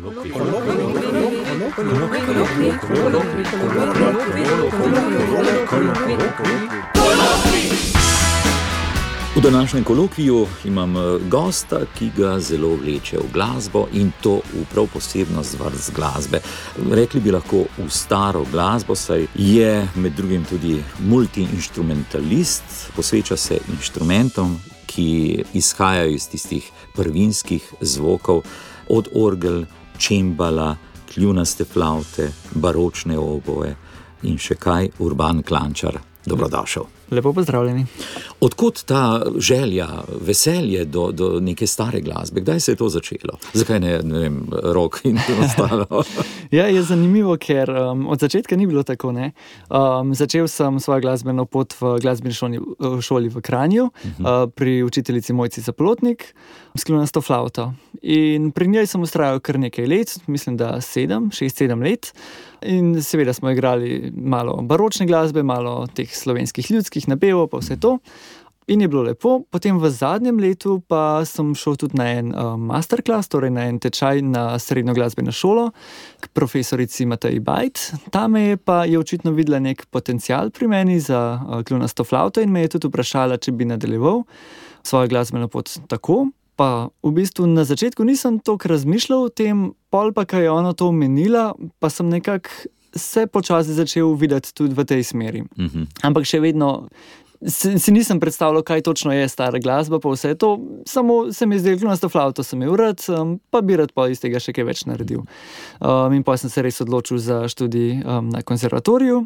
V današnjem kolokviju imam gosta, ki ga zelo vleče v glasbo in to v prav posebnost vrst glasbe. Rekli bi lahko v staro glasbo, saj je med drugim tudi multiinštrumentalist, posveča se inštrumentom, ki izhajajo iz tistih prvinskih zvokov, od orgel, čembala, kljunaste flavte, baročne oboje in še kaj, Urban Klančar. Dobrodošel. Lepo pozdravljeni. Odkot ta želja, veselje do neke stare glasbe? Kdaj se je to začelo? Zakaj ne vem, rock in ostalo? Ja, je zanimivo, ker od začetka ni bilo tako, ne. Začel sem svojo glasbeno pot v glasbeni šoli v Kranju, pri učiteljici Mojci Zaplotnik, s kljunasto flavto. In pri njej sem vztrajal kar nekaj let, mislim, da 6-7 let. In seveda smo igrali malo baročne glasbe, malo teh slovenskih ljudskih napevov, pa vse to. In je bilo lepo. Potem v zadnjem letu pa sem šel tudi na en masterclass, torej na en tečaj na srednjo glasbeno šolo k profesorici Mateji Bajt. Ta me je očitno videla nek potencial pri meni za kljunasto flavto in me je tudi vprašala, če bi nadaljeval svojo glasbeno pot tako. Pa v bistvu na začetku nisem toliko razmišljal o tem, pol pa, ko je ona to omenila, pa sem nekako se počasi začel videti tudi v tej smeri. Ampak še vedno si nisem predstavljal, kaj točno je stara glasba, pa vse to, samo se mi je zdelo, kljunasto flavto sem imel rad, pa bi rad pa iz tega še kaj več naredil. In pa sem se res odločil za študij na konservatoriju.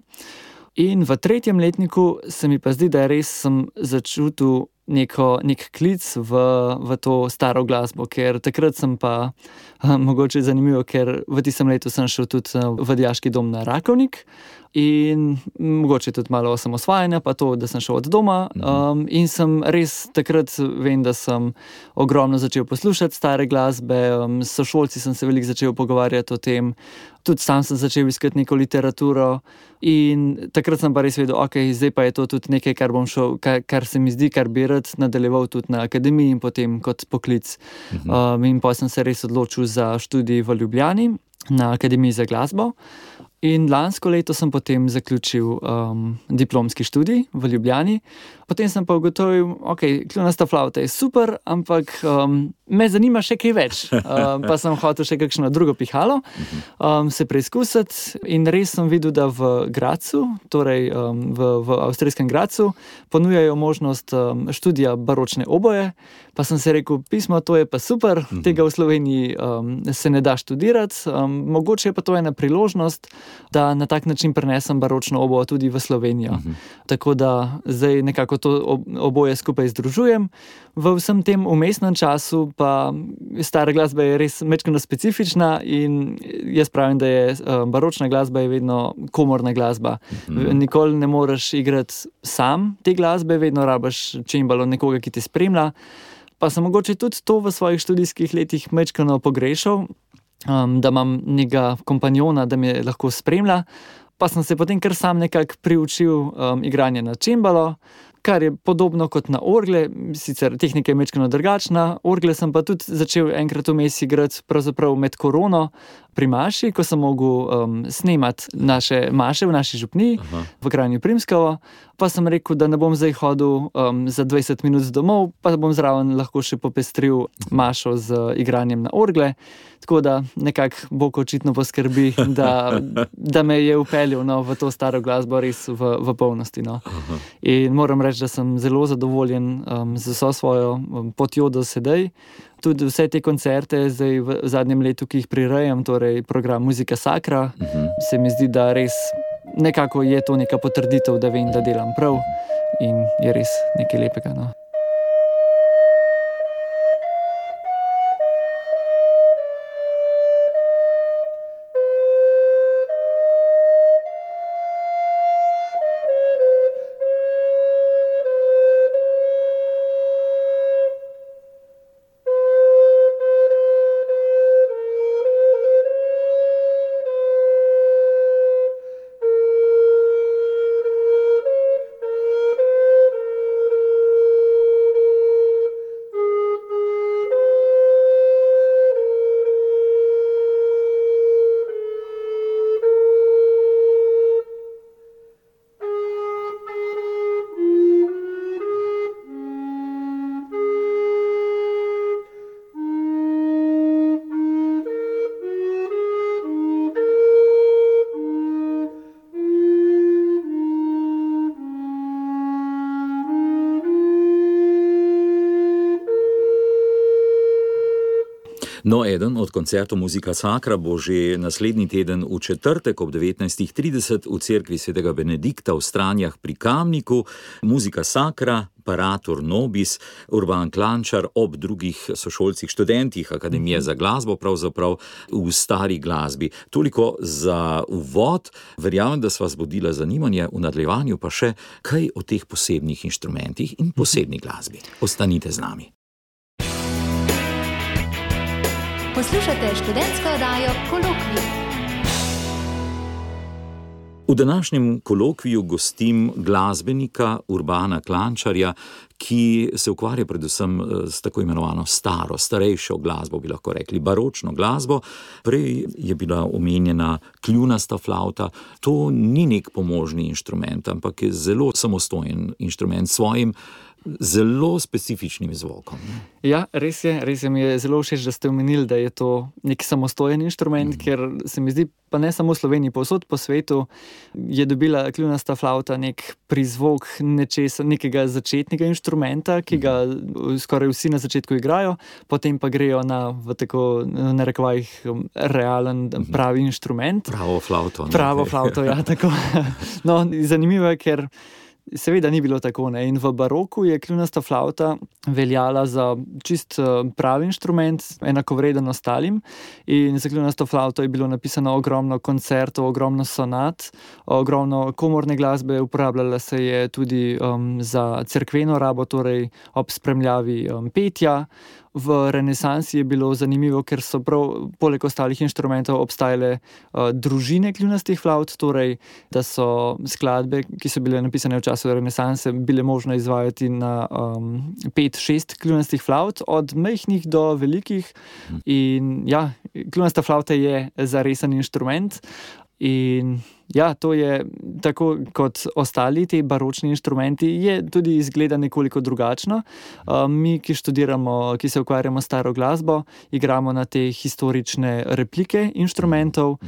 In v 3. letniku se mi pa zdi, da res sem začutil nek klic v to staro glasbo, ker takrat sem pa, mogoče zanimivo, ker v tistem letu sem šel tudi v dijaški dom na Rakovnik in mogoče tudi malo osamosvajanja, pa to, da sem šel od doma, in sem res takrat, vem, da sem ogromno začel poslušati stare glasbe, s sošolci sem se veliko začel pogovarjati o tem, tudi sam sem začel iskati neko literaturo in takrat sem pa res vedel, zdaj pa je to tudi nekaj, kar bom šel, kar se mi zdi, kar bi rad nadaljeval tudi na akademiji in potem kot poklic. In pa sem se res odločil za študij v Ljubljani na Akademiji za glasbo. In lansko leto sem potem zaključil diplomski študij v Ljubljani. Potem sem pa ugotovil, kljunasta flavta je super, ampak me zanima še kaj več. Pa sem hotel še kakšno drugo pihalo, se preizkusiti in res sem videl, da v Gradcu, torej v avstrijskem Gradcu, ponujajo možnost študija baročne oboje. Pa sem se rekel, pismo, to je pa super, tega v Sloveniji se ne da študirati, mogoče je pa to ena priložnost, da na tak način prenesem baročno oboje tudi v Slovenijo. Tako da zdaj nekako to oboje skupaj združujem. V vsem tem vmesnem času pa stara glasba je res majčkeno specifična in jaz pravim, da je baročna glasba je vedno komorna glasba. Nikoli ne moreš igrati sam te glasbe, vedno rabiš čembalo nekoga, ki te spremlja. Pa sem mogoče tudi to v svojih študijskih letih majčkeno pogrešal, da imam nekega kompanjona, da me lahko spremlja. Pa sem se potem kar sam nekako priučil igranje na čembalo, kar je podobno kot na orgle, sicer tehnika je majčkeno drugačna. Orgle sem pa tudi začel enkrat vmes igrati pravzaprav med korono pri maši, ko sem mogel snemati naše maše v naši župniji v Kranju Primskovo. Pa sem rekel, da ne bom zdaj hodil za 20 minut domov, pa bom zraven lahko še popestril mašo z igranjem na orgle. Tako da nekako Bog očitno poskrbi, da me je vpeljal v to staro glasbo res v polnosti. In moram reči, da sem zelo zadovoljen z vso svojo potjo do sedaj. Tudi vse te koncerte zdaj v zadnjem letu, ki jih prirejam, torej program Muzika Sacra, se mi zdi, da res nekako je to neka potrditev, da vem, da delam prav in je res nekaj lepega. No, eden od koncertov Musica Sacra bo že naslednji teden v četrtek ob 19:30 v cerkvi svetega Benedikta v Stranjah pri Kamniku. Musica Sacra, Paratur Nobis, Urban Klančar ob drugih sošolcih, študentih Akademije za glasbo, pravzaprav v stari glasbi. Toliko za uvod. Verjamem, da sva zbudila zanimanje, v nadaljevanju pa še kaj o teh posebnih inštrumentih in posebni glasbi. Ostanite z nami. Poslušate študentsko oddajo Kolokvij. V današnjem kolokviju gostim glasbenika Urbana Klančarja, ki se ukvarja predvsem s tako imenovano starejšo glasbo, bi lahko rekli, baročno glasbo. Prej je bila omenjena kljunasta flavta. To ni nek pomožni inštrument, ampak je zelo samostojen inštrument s svojim zelo specifičnim zvokom. Ja, res je, mi je zelo všeč, da ste omenili, da je to nek samostojen inštrument, ker se mi zdi, pa ne samo v Sloveniji, povsod po svetu je dobila kljunasta flavta nek prizvok nekega začetnega inštrumenta, ki ga skoraj vsi na začetku igrajo, potem pa grejo na, v tako narekovajih, realen, pravi inštrument. Pravo flavto. Pravo flavto, ja, tako. No, zanimivo je, ker seveda ni bilo tako, ne. In v baroku je kljunasta flavta veljala za čist pravi inštrument, enakovreden ostalim. In za kljunasto flavto je bilo napisano ogromno koncertov, ogromno sonat, ogromno komorne glasbe, uporabljala se je tudi za cerkveno rabo, torej ob spremljavi petja. V renesansi je bilo zanimivo, ker so prav poleg ostalih inštrumentov obstajale družine kljunastih flavt, torej da so skladbe, ki so bile napisane v času renesanse, bile možno izvajati na 5-6 kljunastih flavt, od majhnih do velikih. In ja, kljunasta flavta je zaresen inštrument. In ja, to je tako kot ostali ti baročni inštrumenti, je tudi izgleda nekoliko drugačno. Mi, ki študiramo, ki se ukvarjamo s staro glasbo, igramo na te historične replike inštrumentov.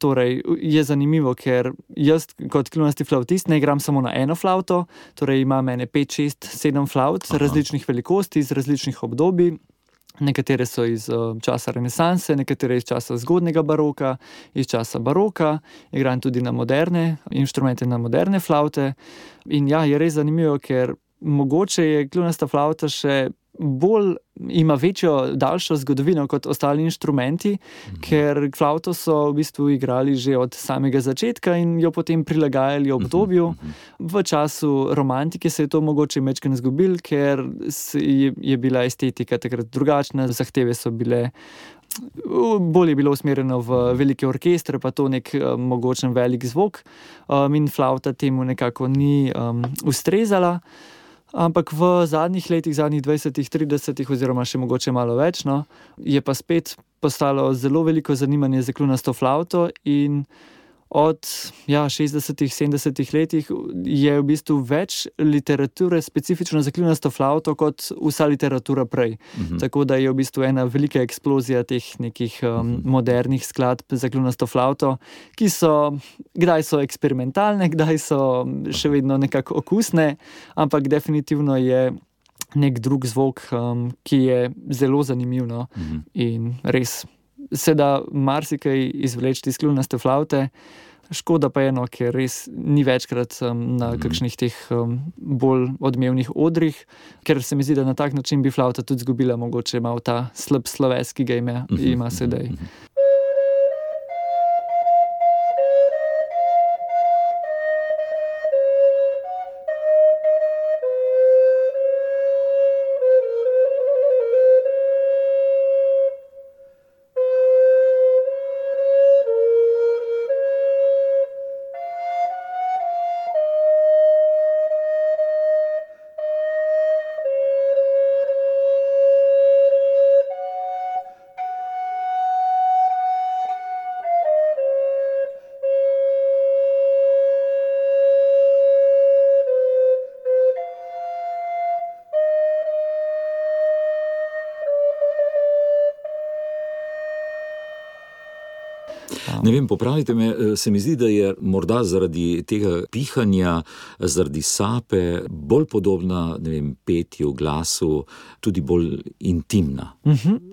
Torej je zanimivo, ker jaz kot kljunasti flavtist ne igram samo na eno flavto, torej imam 5, 6, 7 flavt različnih velikosti, iz različnih obdobij. Nekatere so iz časa renesanse, nekatere iz časa zgodnega baroka, iz časa baroka. Igram tudi na moderne inštrumente, na moderne flavte. In ja, je res zanimivo, ker mogoče je kljunasta flavta še bolj, ima večjo, daljšo zgodovino kot ostali inštrumenti, ker flavto so v bistvu igrali že od samega začetka in jo potem prilagajali obdobju. V času romantike se je to mogoče majčkeno izgubilo, ker je bila estetika takrat drugačna, zahteve so bile, bolj je bilo usmerjeno v velike orkestre, pa to nek mogočen velik zvok, in flavta temu nekako ni ustrezala. Ampak v zadnjih letih, zadnjih 20, 30 oziroma še mogoče malo več, no, je pa spet postalo zelo veliko zanimanje za kljunasto flavto in od 60, 70 letih je v bistvu več literature specifično za kljunasto flavto kot vsa literatura prej. Tako da je v bistvu ena velika eksplozija teh nekih modernih skladb za kljunasto flavto, ki so, kdaj so eksperimentalne, kdaj so še vedno nekako okusne, ampak definitivno je nek drug zvok, ki je zelo zanimiv, no. In res se da marsikaj izvleči iz kljunaste flavte. Škoda pa je, no, ker res ni večkrat na kakšnih teh bolj odmevnih odrih, ker se mi zdi, da na tak način bi flavta tudi izgubila mogoče malo ta slab sloves, ki ga ima sedaj. Ne vem, popravite me, se mi zdi, da je morda zaradi tega pihanja, zaradi sape bolj podobna, ne vem, petju, glasu, tudi bolj intimna.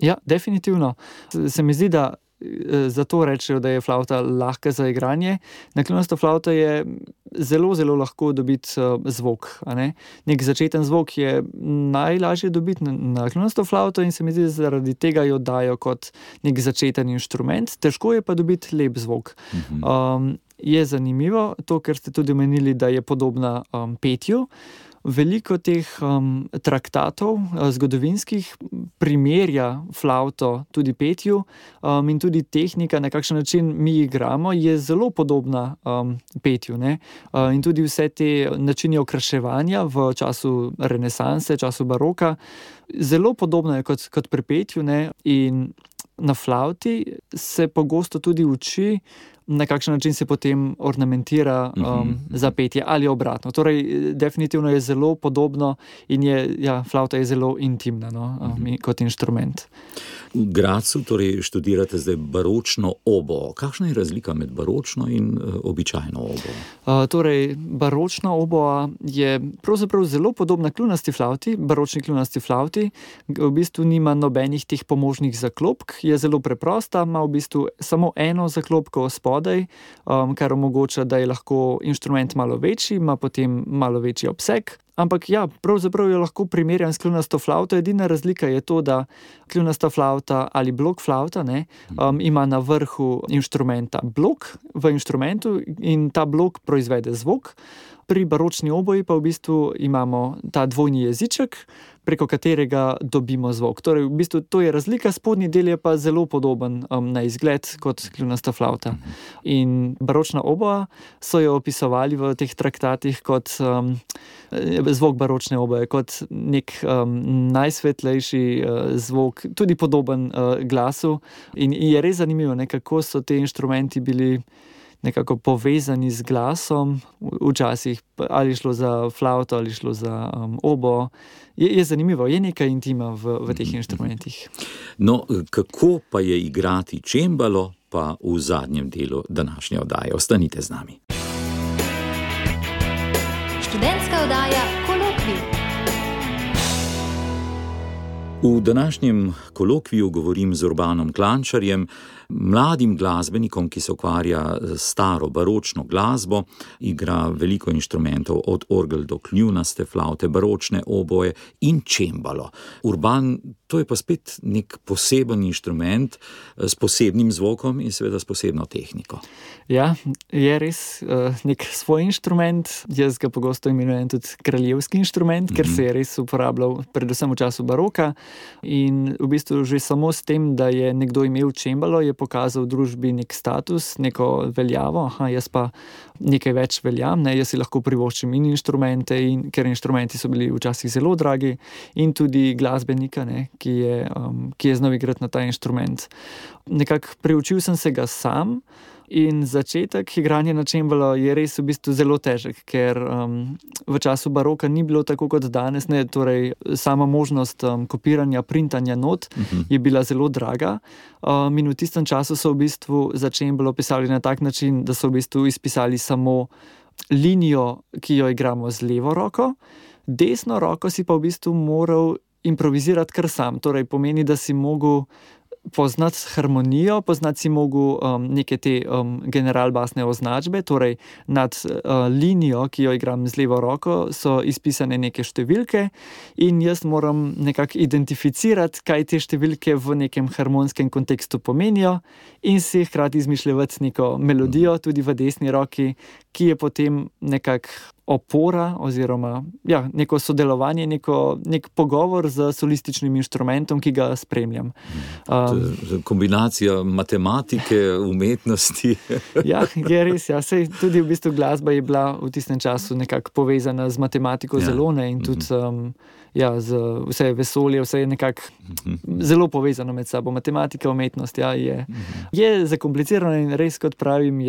Ja, definitivno. Se mi zdi, da zato rečejo, da je flavta lahka za igranje. Na kljunasto flavto je zelo, zelo lahko dobiti zvok. Nek začeten zvok je najlažje dobiti na kljunasto flavto in se mi zdi, da zaradi tega jo dajo kot nek začeten inštrument. Težko je pa dobiti lep zvok. Je zanimivo to, ker ste tudi omenili, da je podobna petju. Veliko teh traktatov zgodovinskih primerja flavto tudi petju in tudi tehnika, na kakšen način mi igramo, je zelo podobna petju. In tudi vse te načini okraševanja v času renesanse, času baroka, zelo podobno je kot pri petju. In na flavti se pogosto tudi uči, na kakšen način se potem ornamentira za petje ali obratno. Torej, definitivno je zelo podobno in flavta je zelo intimna kot inštrument. V Gradcu torej študirate zdaj baročno oboe. Kakšna je razlika med baročno in običajno oboe? Torej, baročna oboa je pravzaprav zelo podobna kljunasti flavti, baročni kljunasti flavti. V bistvu nima nobenih teh pomožnih zaklopk, je zelo preprosta, ima v bistvu samo eno zaklopko spodaj, kar omogoča, da je lahko inštrument malo večji, ima potem malo večji obseg. Ampak pravzaprav jo lahko primerjam s kljunasto flavto. Edina razlika je to, da kljunasta flavta ali blok flavta ima na vrhu inštrumenta blok v inštrumentu in ta blok proizvede zvok. Pri baročni oboji pa v bistvu imamo ta dvojni jeziček, preko katerega dobimo zvok. Torej, v bistvu to je razlika, spodnji del je pa zelo podoben na izgled kot kljunasta flavta. In baročna oboa so jo opisovali v teh traktatih kot zvok baročne oboje, kot nek najsvetlejši zvok, tudi podoben glasu. In je res zanimivo, kako so te inštrumenti bili nekako povezani z glasom, včasih ali šlo za flavto ali šlo za oboe. Je zanimivo, je nekaj intima v teh inštrumentih. No, kako pa je igrati čembalo, pa v zadnjem delu današnje oddaje. Ostanite z nami. Študentska oddaja Kolokvij. V današnjem kolokviju govorim z Urbanom Klančarjem, mladim glasbenikom, ki se ukvarja s staro baročno glasbo, igra veliko inštrumentov, od orgel do kljunaste flavte, baročne oboje in čembalo. Urban, to je pa spet nek poseben inštrument s posebnim zvokom in seveda s posebno tehniko. Ja, je res nek svoj inštrument. Jaz ga pogosto imenujem tudi kraljevski inštrument, ker se je res uporabljal predvsem v času baroka. In v bistvu že samo s tem, da je nekdo imel čembalo, je pokazal v družbi nek status, neko veljavo. Jaz pa nekaj več veljam, jaz si lahko privoščim in inštrumente, ker inštrumenti so bili včasih zelo dragi, in tudi glasbenika, ki je znal igrati na ta inštrument. Nekako preučil sem se ga sam. In začetek igranja na čembalo je res v bistvu zelo težek, ker v času baroka ni bilo tako kot danes, torej sama možnost kopiranja, printanja not je bila zelo draga. In v tistem času so v bistvu za čembalo pisali na tak način, da so v bistvu izpisali samo linijo, ki jo igramo z levo roko, desno roko si pa v bistvu moral improvizirati kar sam. Torej pomeni, da si mogel poznati harmonijo, poznati si mogel neke te generalbasne označbe, torej nad linijo, ki jo igram z levo roko, so izpisane neke številke in jaz moram nekako identificirati, kaj te številke v nekem harmonskem kontekstu pomenijo in si hkrati izmišljati neko melodijo tudi v desni roki, ki je potem nekako opora oziroma neko sodelovanje, nek pogovor z solističnim inštrumentom, ki ga spremljam. Kombinacija matematike, umetnosti. Je res. Sej tudi v bistvu glasba je bila v tistem času nekako povezana z matematiko zelo, in tudi z vse vesolje, vse je nekako zelo povezano med sabo. Matematika, umetnost, je zakomplicirano in res, kot pravim,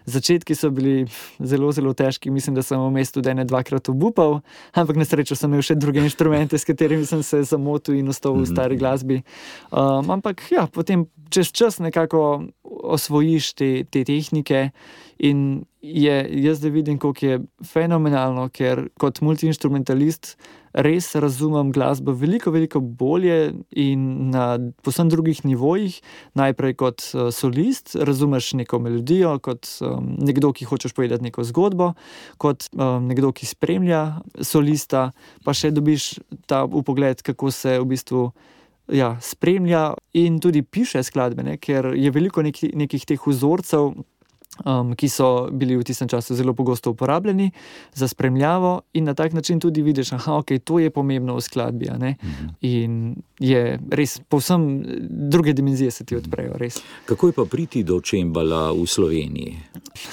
začetki so bili zelo, zelo težki. Mislim, da sem v mestu dvakrat obupal, ampak na srečo sem imel še druge inštrumente, s katerimi sem se zamotil in ostal v stari glasbi. Ampak potem čez čas nekako osvojiš te tehnike in jaz da vidim, koliko je fenomenalno, ker kot multiinstrumentalist res razumem glasbo veliko, veliko bolje in na povsem drugih nivojih. Najprej kot solist razumeš neko melodijo, kot nekdo, ki hočeš povedati neko zgodbo, kot nekdo, ki spremlja solista, pa še dobiš ta vpogled, kako se v bistvu spremlja in tudi piše skladbe, ne? Ker je veliko nekih teh vzorcev, ki so bili v tistem času zelo pogosto uporabljeni za spremljavo in na tak način tudi vidiš, to je pomembno v skladbi, a ne? In je res povsem druge dimenzije se ti odprejo, res. Kako je pa priti do čembala v Sloveniji?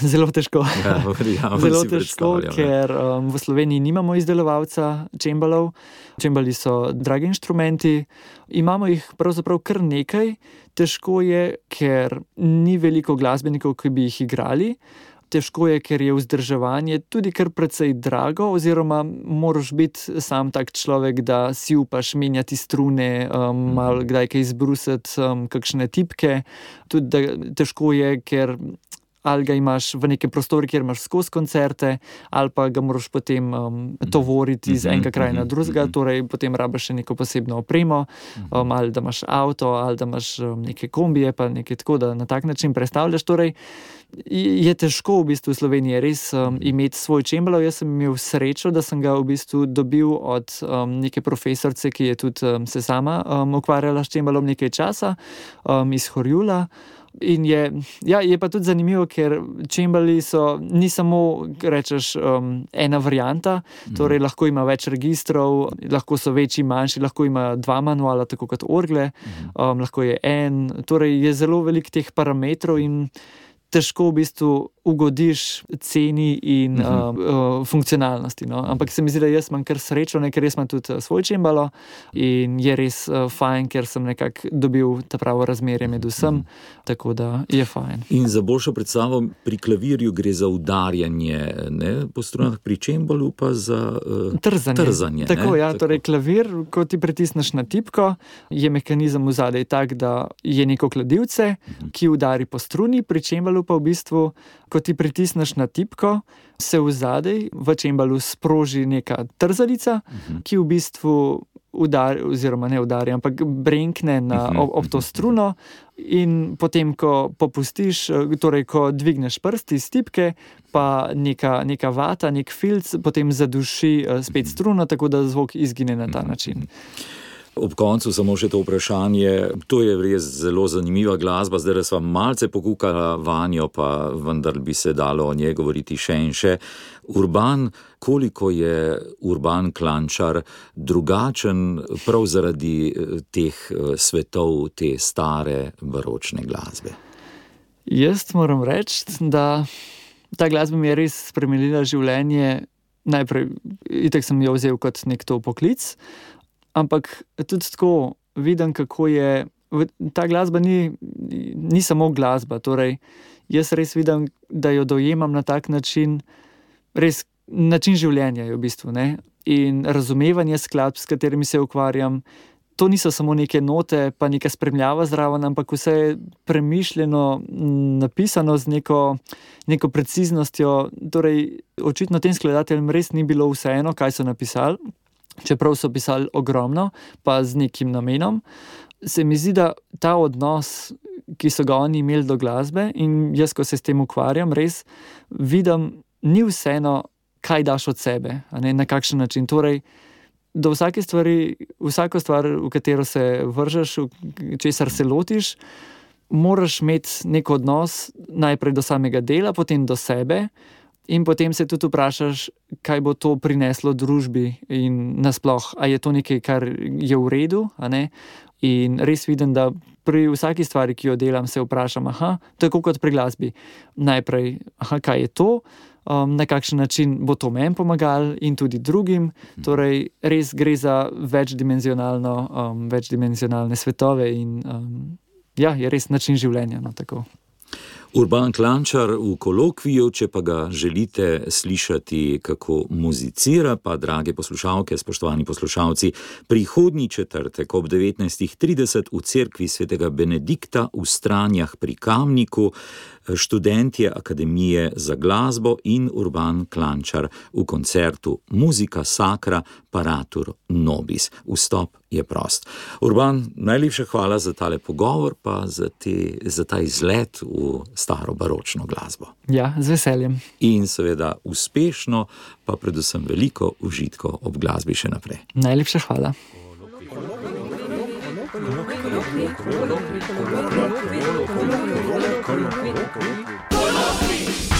Zelo težko. Zelo težko, predstavljam, ker v Sloveniji nimamo izdelovalca čembalov. Čembali so dragi inštrumenti, imamo jih pravzaprav kar nekaj. Težko je, ker ni veliko glasbenikov, ki bi jih igrali. Težko je, ker je vzdrževanje tudi kar precej drago, oziroma moraš biti sam tak človek, da si upaš menjati strune, malo kdaj kaj izbrusiti, kakšne tipke. Tudi težko je, ker ali ga imaš v nekem prostoru, kjer imaš skozi koncerte, ali pa ga moraš potem tovoriti iz enega kraja na drugega, torej potem rabiš še neko posebno opremo, ali da imaš avto, ali da imaš neke kombije, pa nekaj tako, da na tak način predstavljaš. Torej, je težko v bistvu v Sloveniji res imeti svoj čembalo. Jaz sem imel srečo, da sem ga v bistvu dobil od neke profesorice, ki je tudi se sama ukvarjala s čembalom nekaj časa, iz Horjula. In je pa tudi zanimivo, ker čembali ni samo, rečeš, ena varianta, torej lahko ima več registrov, lahko so večji, manjši, lahko ima 2 manuala, tako kot orgle, lahko je torej je zelo veliko teh parametrov in težko v bistvu ugodiš ceni in funkcionalnosti. No? Ampak se mi zdi, da jaz imam kar srečo, ker jaz imam tudi svoj čembalo in je res fajn, ker sem nekako dobil ta pravo razmerje med vsem, tako da je fajn. In za boljšo predstavo pri klavirju gre za udarjanje, ne, po strunah, pri čembalu pa za trzanje. Tako, ja, torej klavir, ko ti pritisneš na tipko, je mehanizem vzadej tak, da je neko kladivce, ki udari po struni, pri čembalu pa v bistvu, ko ti pritisneš na tipko, se vzadej v čembalu sproži neka trzalica, ki v bistvu oziroma ne udari, ampak brenkne ob to struno in potem, ko popustiš, torej ko dvigneš prst iz tipke, pa neka vata, nek filc potem zaduši spet struno, tako da zvok izgine na ta način. Ob koncu samo še to vprašanje, to je res zelo zanimiva glasba, zdaj sva malce pokukala vanjo, pa vendar bi se dalo o njej govoriti še in še. Urban, koliko je Urban Klančar drugačen prav zaradi teh svetov, te stare baročne glasbe? Jaz moram reči, da ta glasba mi je res spremenila življenje. Najprej, itak sem jo vzel kot nek to poklic, ampak tudi tako vidim, kako je, ta glasba ni samo glasba, torej jaz res vidim, da jo dojemam na tak način, res način življenja je v bistvu, ne, in razumevanje skladb, s katerimi se ukvarjam, to niso samo neke note, pa neka spremljava zraven, ampak vse je premišljeno, napisano z neko preciznostjo, torej očitno tem skladateljem res ni bilo vseeno, kaj so napisali, čeprav so pisali ogromno, pa z nekim namenom. Se mi zdi, da ta odnos, ki so ga oni imeli do glasbe, in jaz, ko se s tem ukvarjam, res vidim, ni vseeno, kaj daš od sebe, a ne, na kakšen način. Torej, do vsake stvari, vsako stvar, v katero se vržeš, česar se lotiš, moraš imeti nek odnos najprej do samega dela, potem do sebe, in potem se tudi vprašaš, kaj bo to prineslo družbi in nasploh, a je to nekaj, kar je v redu, a ne? In res vidim, da pri vsaki stvari, ki jo delam, se vprašam, tako kot pri glasbi. Najprej, kaj je to, na kakšen način bo to meni pomagalo in tudi drugim. Torej, res gre za večdimenzionalne svetove in je res način življenja, no, tako. Urban Klančar v kolokviju, če pa ga želite slišati, kako muzicira, pa drage poslušalke, spoštovani poslušalci, prihodnji četrtek ob 19:30 v cerkvi svetega Benedikta v Stranjah pri Kamniku, študentje Akademije za glasbo in Urban Klančar v koncertu Muzika Sacra Paratur Nobis. Vstop je prost. Urban, najlepša hvala za tale pogovor, pa za ta izlet v staro baročno glasbo. Ja, z veseljem. In seveda uspešno, pa predvsem veliko užitkov ob glasbi še naprej. Najlepša hvala. Kolokvij.